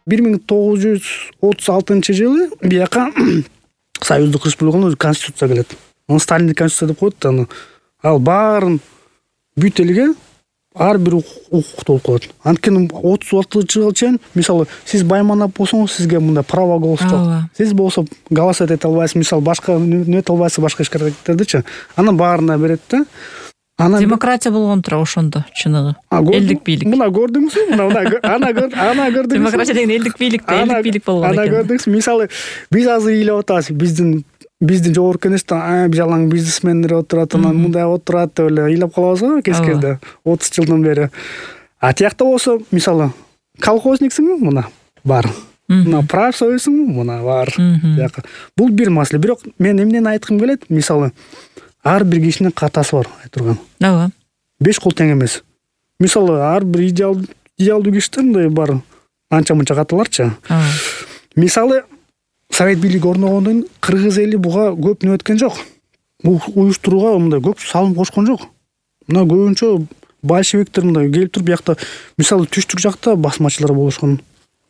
1936-жылы бияка Союздук Республиканын конституция келет. Аны Сталиндик конституция деп коет да. Ал баарын бүт элге ар бир укуктуу болуп калат. Анткени 36-жылга чейин мисалы сиз байманап болсоңуз сизге мындай право голос жок. Сиз болсо голосовать эте албайсыз, мисалы башка нөт албайсыз башка иш-аракеттердичи. Анын баарына берет да. Демократия болгон тура ошондо чыныгы. Элдик бийлик. Мына көрдүңүзбү? Ана көрдүңүз. Демократия деген элдик бийлик да, элдик бийлик болгон экен. Ана көрдүңүз. Мисалы биз азыр ыйлап атабыз. Биздин жогорку кеңеште жалаң бизнесмендер отурат, анан мындай отурат деп эле ыйлап калабыз го кескенде 30 жылдан бери. А тиякта болсо мисалы колхозниксиңби? Мына бар. Мына профсоюзсуңбу? Мына бар. Бул бир маселе. Бирок мен эмнени айткым келет? Мисалы ар бир кишинин катасы бар айтырган. Ооба. 5 кол тең эмес. Мисалы ар бир идеалдуу кишиде мындай бар анча-мынча каталарчы. Мисалы Совет бийлиги орногондон кыргыз эли буга көп нө өткөн жок. Бул уюштурууга мындай көп салым кошкон жок. Мына көбүнчө большевиктер мындай келип туруп биякта мисалы түштүк жакта басмачылар болушкан.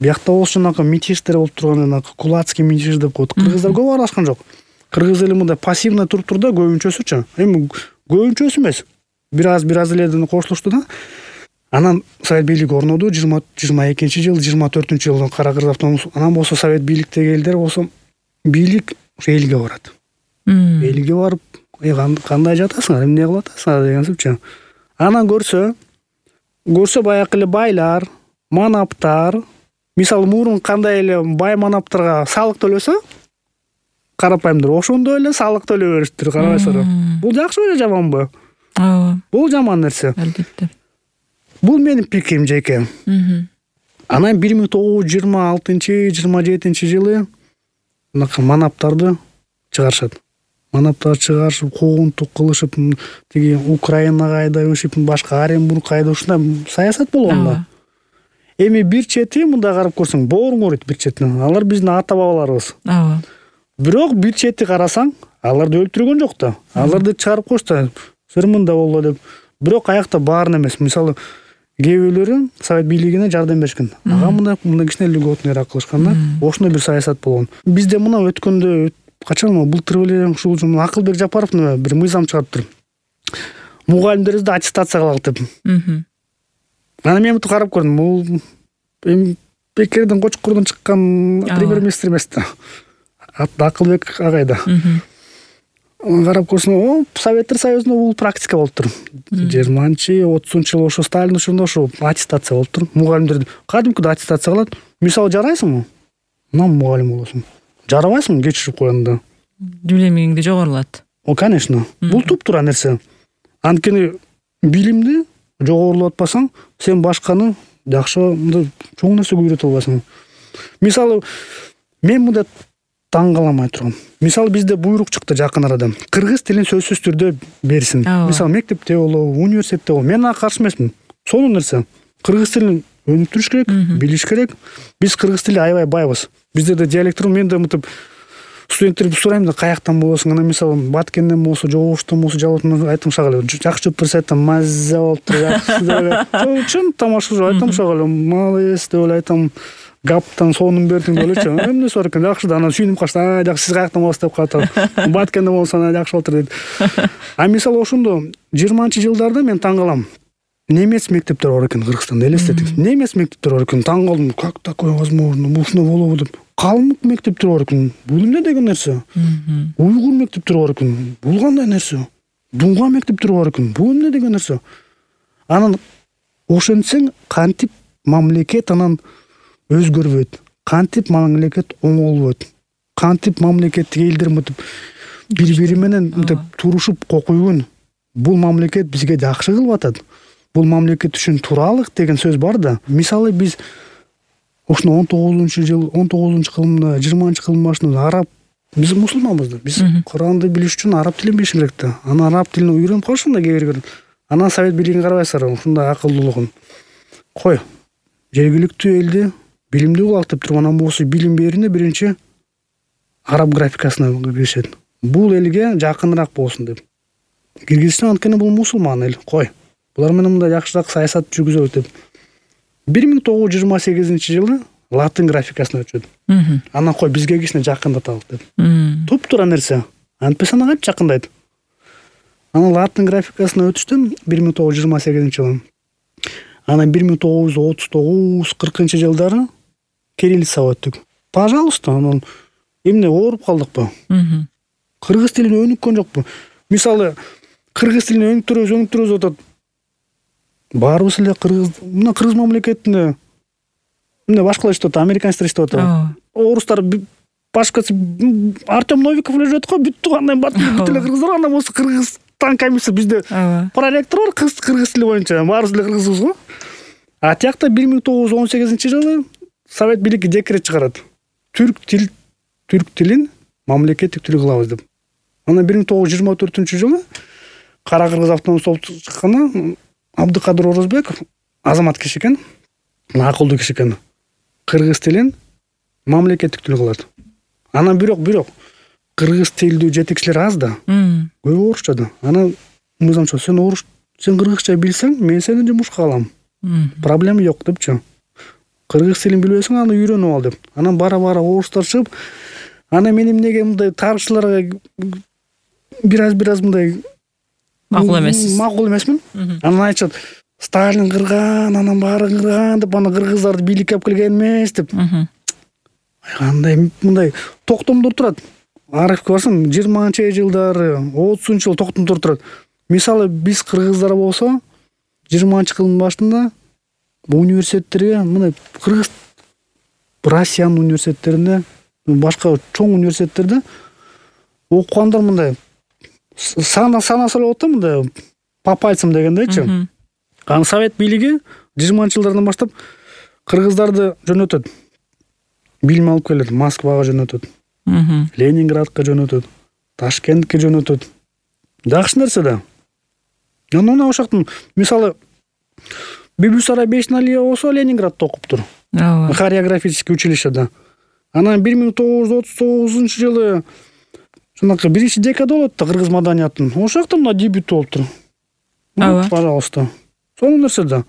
Биякта болсо жанагы митиштер болуп турган, жанагы кулацкий митиш деп коет. Кыргыздар көп аралашкан жок. Кыргыз эли мындай пассивно туруп турду, көбүнчөсүчү. Эми көбүнчөсү эмес. Бир аз эледен кошулушту да. Анан Совет бийлиги орноду 22-жыл, 24-жылы Кара Кыргыз автономиялык. Анан болсо Совет бийликтеги элдер болсо бийлик ошо элге барат. Элге барып, кандай жатасыңар, эмне кылып атасыңар деген сөзчү. Анан көрсө баягы эле байлар, манаптар, мисалы мурун кандай эле бай манаптарга салык төлөсө, карапайымдар ошондой эле салык төлөй бериштир, карабайсызбы? Бул жакшыбы же жаманбы? Ооба. Бул жаман нерсе. Албетте. Бул менин пикирим жеке. Анан 1926-27-жылы манаптарды чыгарышат. Манаптар чыгарышып, куугунтук кылышып, тиги Украинага айдашып, башка Оренбургка айдашып, саясат болгон да. Эми бир чети мында карап көрсөң, бооруң ооруйт бир четинен. Алар биздин ата-бабаларыбыз. Ооба. Бирок бир чети карасаң, аларды өлтүргөн жок да. Аларды чыгарып коюшту. Сыр мында болду деп. Бирок аякта баарын эмес. Мисалы кээ бирлери Совет бийлигине жардам беришкен. Ага мындай кичине льготный кылышкан да. Ошондой бир саясат болгон. Бизде мына өткөндө качан былтыр эле ушул Акылбек Жапаров бир мыйзам чыгарыптыр. Мугалимдерибизди аттестация кылалы деп. Анан мен мынтип карап көрдүм. Бул Бекердин Кочкордон чыккан премьер-министр эмес да. Акылбек агайда. Карап көрсөң, Советтер Союзунда бул практика болуптур. 20-30-жылы ошо Сталин учурунда ошо аттестация болуптур. Мугалимдерди кадимкиде аттестация кылат. Мисалы жарайсыңбы? Мына мугалим болосуң. Жарабайсың, кечирип коёнда. Билимиңди жогорулат. Конечно. Бул туп-туура нерсе. Анткени билимди жогорулап атпасаң, сен башканы жакшы чоң нерсеге үйрөтө албайсың. Мисалы мен мында таң каламай турган. Мисалы бизде буйрук чыкты жакын арада. Кыргыз тилин сөзсүз түрдө берсин. Мисалы мектепте болобу, университетте болобу. Мен ага каршы эмесмин. Сонун нерсе. Кыргыз тилин өнүктүрүш керек, билиш керек. Биз кыргыз тили аябай байбыз. Бизде да диалектер, мен да мынтип студенттерди сурайм да, каяктан болосуң? Анан мисалы Баткенден болсо, Жогоштон болсо, Жалаловдон айтам шагалы. Жакшы көрсө айтам, маза болуптур, жакшы деп. Чын тамаша айтам шагалы. Молодец деп айтам. Гаптан сонун бердиң делечи. Эмне сор экен, жакшы да. Анан сүйүнүп калышты. Жакшы, сиз каяктан болосуз деп катам. Баткенден болсо жакшы болуптур дейт. А мисалы ошондо 20-жылдарда мен таң калам. Немец мектептер бар экен Кыргызстанда, элестетиңиз. Немец мектептер бар экен. Таң калдым. Как такое возможно? Бул ушуна болобу деп. Калмык мектептер бар экен. Бул эмне деген нерсе? Уйгур мектептер бар экен. Бул кандай нерсе? Дунга мектептер бар экен. Бул эмне деген нерсе? Анан ошентсең, кантип мамлекет анан өзгөрбөйт. Кантип мамлекет оңолбойт. Кантип мамлекеттик элдер мынтип бири-бири менен мынтип турушуп кокуйгун. Бул мамлекет бизге жакшы кылып атат. Бул мамлекет үчүн тууралык деген сөз бар да. Мисалы биз ошону 19-кылымда, 20-кылымдын башында араб, биз мусулманбыз да. Биз Куранды билиш үчүн араб тилин билиш керек да. Анан араб тилин үйрөнүп калышым да кээ бир. Анан Совет бийлигин карабайсыздар, ушундай акылдуулугун. Кой. Жергиликтүү элди билимдүү кылалы деп турган, анан болсо билим берүүнү биринчи араб графикасына киришет. Бул элге жакыныраак болсун деп. Киргизчан анткени бул мусулман эл. Кой. Булар менен мындай жакшыраак саясат жүргүзөлүт деп. 1928-жылы латын графикасына өтүшөт. Анан кой бизге кичине жакындаталык деп. Туптуура нерсе. Антпесе аны кантип жакындайт? Анан латын графикасына өтүштүм 1928-жылы. Анан 1939-40 жылдары кириллицага өттүк. Пожалуйста, анан эмне ооруп калдыкпы? Кыргыз тилине өнүккөн жокпу? Мисалы, кыргыз тилине өнүктүрөбүз атат. Баарыбыз эле кыргыз мамлекетинде эмне башкалар иштеп атат, американецтер иштеп атат. Орустар башкасы Артем Новиков эле жүрөт го, бүт туугандай бүт эле кыргыздар, андан болсо Кыргызстан комиссия бизде проректор бар, кыргыз тили боюнча, баарыбыз эле кыргызбыз го. А тиякта 1918-жылы Совет бийлиги декрет чыгарат. Түрк тилин мамлекеттик тил кылабыз деп. Анан 1924-жылы Кара Кыргыз автономдук соту чыкканда Абдыкадыр Орозбеков азамат киши экен, акылдуу киши экен. Кыргыз тилин мамлекеттик тил кылат. Анан бирок кыргыз тилдүү жетекчилер аз да. Көбү орусча да. Анан мыйзамчы сен кыргызча билсең, мен сени жумушка алам. Проблема жок депчи. Кыргыз тилин билбесең, аны үйрөнүп ал деп. Анан бара-бара орустар чыгып, анан мен эмнеге мындай тарыхчыларга бир аз мындай макул эмессиз. Макул эмесмин. Анан айтышат, Сталин кырган, анан баары кырган деп, аны кыргыздарды бийликке алып келген эмес деп. Кандай мындай токтомдор турат. Архивке барсаң 20-жылдары, 30-жылы токтомдор турат. Мисалы, биз кыргыздар болсо 20-жылдын башында университеттерге мындай кыргыз Россиянын университеттеринде, башка чоң университеттерде окугандар мындай санаса эле болот да, мындай по пальцам дегендейчи. Анан Совет бийлиги 20-жылдардан баштап кыргыздарды жөнөтөт. Билим алып келет, Москвага жөнөтөт. Ленинградка жөнөтөт, Ташкентке жөнөтөт. Жакшы нерсе да. Анан ошоктун мисалы Бибисара Бешналия болсо Ленинградда окуптур. Хореографический училищеде. Анан 1939-жылы жанакы 1-декада болот да кыргыз маданиятын. Ошокто мына дебют болуптур. Пожалуйста. Сонун нерсе да.